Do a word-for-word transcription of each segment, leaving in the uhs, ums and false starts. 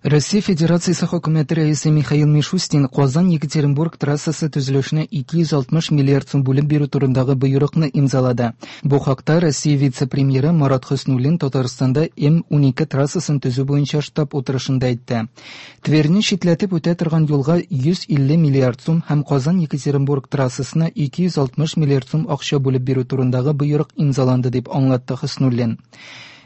Россия Федерациясе Хөкүмәте рәисе Михаил Мишустин Казан-Екатеринбург трассасы төзелешенә ике йөз алтмыш миллиард сум бүлеп бирү турындагы боерыкны имзалады. Бу хакта Россия вице-премьеры Марат Хөснуллин Татарстанда М унике трассасын төзү буенча штаб утырышында әйтте. Тверьне читләтеп үтә торган юлга йөз илле миллиард сум һәм Казан-Екатеринбург трассасына ике йөз алтмыш миллиард сум акча бүлеп бирү турындагы боерык имзаланды, дип аңлатты Хөснуллин.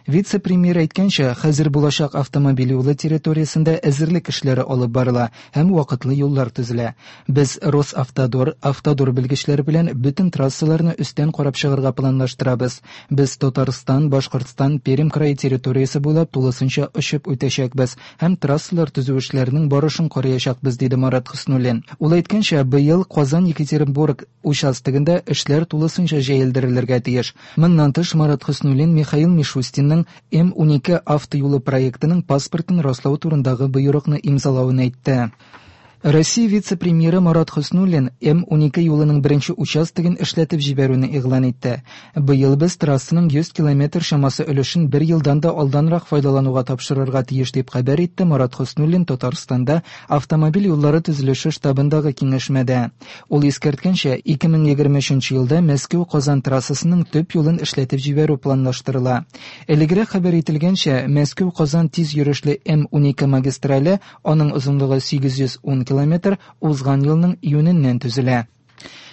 Вице-премьер әйткәнчә, хәзер булачак автомобиль юлы территориясендә әзерлек эшләре алып барыла һәм вакытлы юллар төзелә. Без Росавтодор, Автодор белгечләре белән бөтен трассаларны өстән карап чыгарга планлаштырабыз. Без Татарстан, Башкортстан, Пермь крае территориясе буйлап тулысынча очып үтәчәкбез һәм трассалар төзү эшләренең барышын караячакбыз, диде Марат Хөснуллин. Ул әйткәнчә, быел Казан-Екатеринбург участогында эшләр тулысынча җәелдерелергә тиеш. Моннан тыш, Марат Хөснуллин Михаил Мишустинның М унике автоюлы проектының паспортын раслау турындагы боерыкны имзалавын әйтте. Россия вице-премьеры Марат Хөснуллин М унике юлының беренче участогын эшләтеп җибәрүне игълан итте. Быел без трассаның йөз километр чамасы өлешен бер елдан да алданрак файдалануга тапшырырга тиеш, дип хәбәр итте Марат Хөснуллин Татарстанда автомобиль юллары төзелеше штабындагы киңәшмәдә. Ул искәрткәнчә, ике мең егерме өченче елда Мәскәү-Казан трассасының төп юлын эшләтеп җибәрү планлаштырыла. Элегрәк хәбәр ителгәнчә, Мәскәү-Казан тиз йөрешле М унике магистрале, аның озынлыгы сигез йөз ун километр, узган елның июненнән төзелә.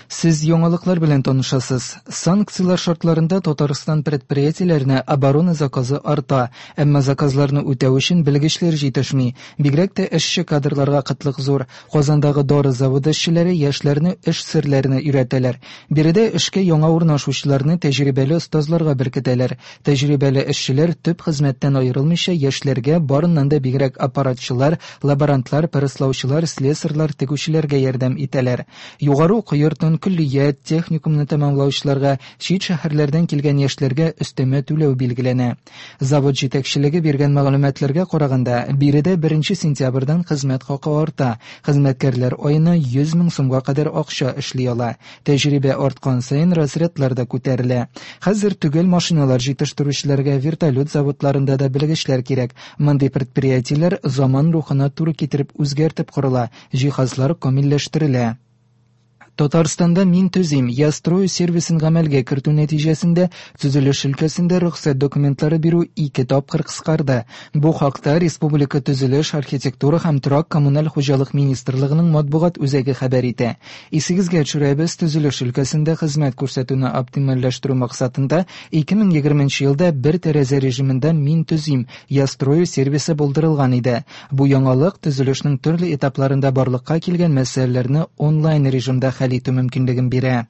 Сез яңалыклар белән танышасыз. Санкцияләр шартларында Татарстан предприятиеләренә оборона заказы арта, әмма заказларны үтәү өчен белгечләр җитешми. Бигрәк тә эшче кадрларга кытлык зур. Казандагы дары заводы эшчеләре яшьләрне эш серләренә өйрәтәләр. Биредә эшкә яңа урнашучыларны тәҗрибәле остазларга беркетәләр. Тәҗрибәле эшчеләр төп хезмәттән аерылмыйча яшьләргә барыннан да бигрәк аппаратчылар, лаборантлар, пырыслаучылар, слесарьлар, тегүчеләргә ярдәм итәләр. Югары уку йортын, көллият, техникумны тәмамлаучыларга, чит шәһәрләрдән килгән яшьләргә өстәмә түләү билгеләнә. Завод җитәкчелеге биргән мәгълүматларга караганда, биредә беренче сентябрьдән хезмәт хакы арта. Хезмәткәрләр аена йөз мең сумга кадәр акча эшли ала. Тәҗрибә арткан саен разрядлар да күтәрелә. Хәзер төгәл машиналар җитештерүчеләргә вертолет заводларында да белгечләр кирәк. Мондый предприятиеләр заман рухына туры китереп үзгәртеп корыла, җиһазлар камилләштерелә. Татарстанда Мин төзим, я строю сервисын гамәлгә кертү нәтиҗәсендә төзелеш өлкәсендә рөхсәт документлары бирү ике тапкыр кыскарды. Бу хакта Республика төзелеш, архитектура һәм торак коммуналь хуҗалык министрлыгының матбугат үзәге хәбәр итә. Исегезгә төшерәбез, төзелеш өлкәсендә хезмәт күрсәтүне оптимальләштерү максатында ике мең егерменче елда бер тәрәзә режимында Мин төзим, я строю сервисы булдырылган иде. Бу яңалык төзелешнең төрле этапларында барлыкка килгән мәсьәләләрне онлайн режимда хәл итү мөмкинлеген бирә.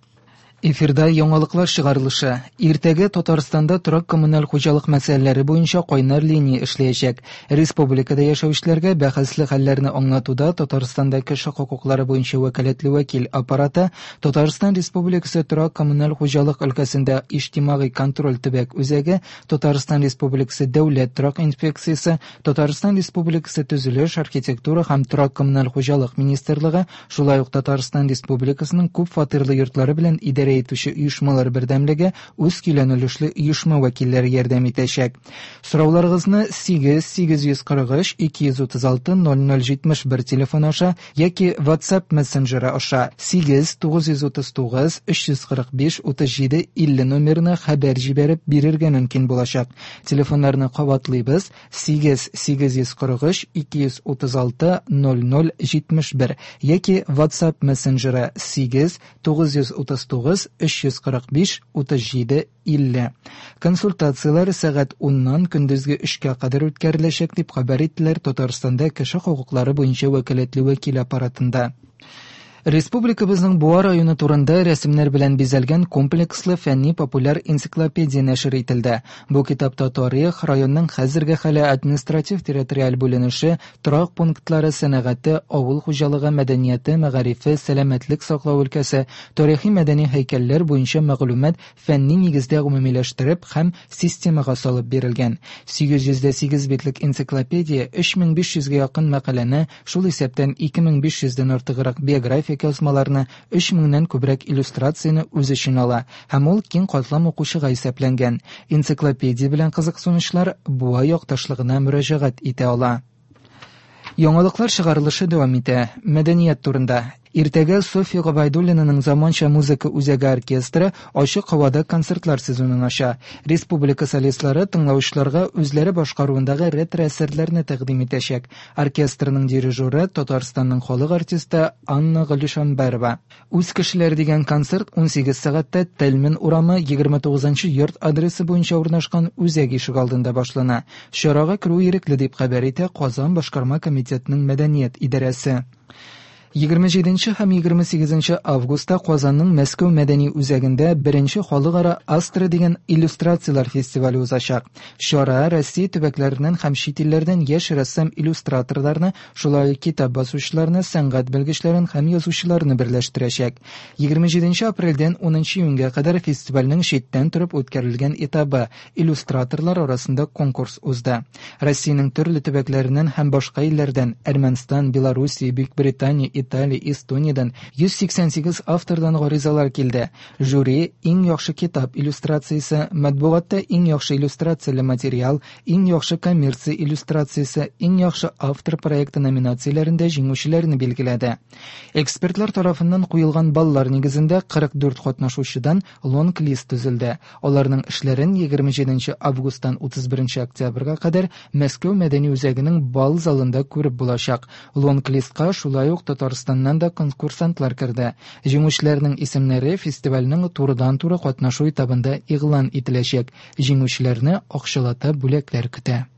Эфирда яңалыклар чыгарылышы. Иртәгә Татарстанда торак коммуналь хуҗалык мәсьәләләре буенча кайнар линия эшләячәк. Республикада яшәүчеләргә бәхәсле хәлләрне аңлатуда Татарстанда кеше хокуклары буенча вәкаләтле вәкил аппараты, Татарстан Республикасы торак коммуналь хуҗалык өлкәсендә иҗтимагый контроль төбәк үзәге, Татарстан Республикасы дәүләт торак инспекциясе, Татарстан Республикасы төзелеш, архитектура һәм торак коммуналь хуҗалык министрлыгы, шулай ук Татарстан Республикасының күп фатирлы йортлары белән идарә итүче оешмалар бердәмлеге үз көйләнелешле оешма вәкилләре ярдәм итәчәк. Сорауларыгызны сигез сигез йөз кырык өч ике йөз утыз алты ноль ноль җитмеш бер телефон аша яки WhatsApp мессенджеры аша сигез тугыз йөз утыз тугыз өч йөз кырык биш утыз җиде илле номерына хәбәр җибәреп бирергә мөмкин булачак. Телефоннарны кабатлыйбыз: сигез сигез йөз кырык өч ике йөз утыз алты ноль ноль җитмеш бер яки WhatsApp мессенджеры сигез тугыз йөз утыз тугыз өч йөз кырык биш утыз җиде илле. Консультацияләр сәгать уннан көндезге өчкә кадәр үткәреләчәк, дип хәбәр иттеләр Татарстанда кеше хокуклары буенча вәкаләтле вәкил аппаратында. Республикабызның Буа районы турында рәсемнәр белән бизәлгән комплекслы фәнни популяр энциклопедия нәшер ителде. Бу китапта тарих, районның хәзерге хәле, административ территориаль бүленеше, торак пунктлары, сәнәгате, авыл хуҗалыгы, мәдәнияте, мәгарифе, сәламәтлек саклау өлкәсе, тарихи мәдәни һәйкәлләр буенча мәгълүмат фәнни нигездә гомумиләштереп һәм системага салып бирелгән. Сигез йөз дә сигез битлек энциклопедия өч мең биш йөзгә якын мәкаләне, шул исәптән ике мең биш йөздән артыграк биографик язмаларны, өч меңнән күбрәк иллюстрацияне үз эченә ала һәм ул киң катлам укучыга исәпләнгән. Энциклопедия белән кызыксынучылар Буа якташлыгына мөрәҗәгать итә ала. Яңалыклар чыгарылышы дәвам итә. Мәдәният турында. Иртәгә Софья Гобәйдуллинаның заманча музыка үзәге оркестры ачык һавада концертлар сезонын ача. Республика солистлары тыңлаучыларга үзләре башкаруындагы ретро-әсәрләрне тәкъдим итәчәк. Оркестрның дирижеры Татарстанның халык артисты Анна Галишанбәрова. Үз кешеләр дигән концерт унсигез сәгатьтә Тельман урамы егерме тугызынчы йорт адресы буенча урнашкан үзәк ишегалдында башлана. Чарага керү ирекле дип хәбәр итә Казан башкарма комитетының мәдәният идарәсе. Егерме җиденче һәм егерме сигезенче августта Казанның Мәскәү мәдәни үзәгендә беренче халыкара Астра дигән иллюстрацияләр фестивале узачак. Чара Россия төбәкләреннән һәм чит илләрдән яшь рәссам-иллюстраторларны, шулай ук китап басучыларны, сәнгать белгечләрен һәм язучыларны берләштерәчәк. Егерме җиденче апрельдән унынчы июньгә кадәр фестивальнең читтән торып үткәрелгән этабы иллюстраторлар арасында конкурс узды. Россиянең төрле төбәкләреннән һәм башка илләрдән Әрмәнстан, Белоруссия, Бөекбритания, Италия, Эстониядән йөз сиксән сигез автордан гаризалар килде. Жюри иң яхшы китап иллюстрациясе, матбугатта иң яхшы иллюстрацияле материал, иң яхшы коммерция иллюстрациясе, иң яхшы автор проекты номинацияләрендә җиңүчеләрне билгеләде. Экспертлар тарафыннан куелган баллар нигезендә кырык дүрт катнашучыдан лонг-лист төзелде. Аларның эшләрен егерме җиденче августтан утыз беренче октябрьгә кадәр Мәскәү мәдәни үзәгенең бал залында күреп булачак. Лонг-листка шулай ук Татарстаннан да конкурсантлар керде. Җиңүчеләрнең исемнәре фестивальнең турыдан-туры катнашу этабында игълан ителәчәк. Җиңүчеләрне акчалата бүләкләр көтә.